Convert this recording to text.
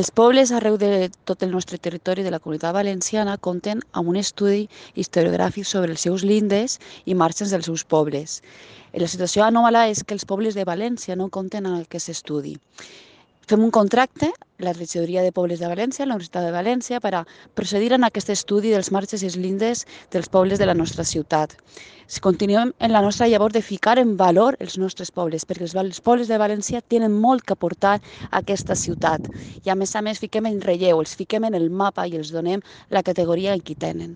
Els pobles arreu de tot el nostre territori de la Comunitat Valenciana compten amb un estudi historiogràfic sobre els seus lindes i marxes dels seus pobles. La situació anòmala és que els pobles de València no compten amb aquest estudi. Fem un contracte, la Regidoria de Pobles de València, la Universitat de València, per a procedir en aquest estudi dels marges i els lindes dels pobles de la nostra ciutat. Si continuem en la nostra llavor de ficar en valor els nostres pobles, perquè els pobles de València tenen molt que aportar a aquesta ciutat. I a més fiquem en relleu, els fiquem en el mapa i els donem la categoria en què tenen.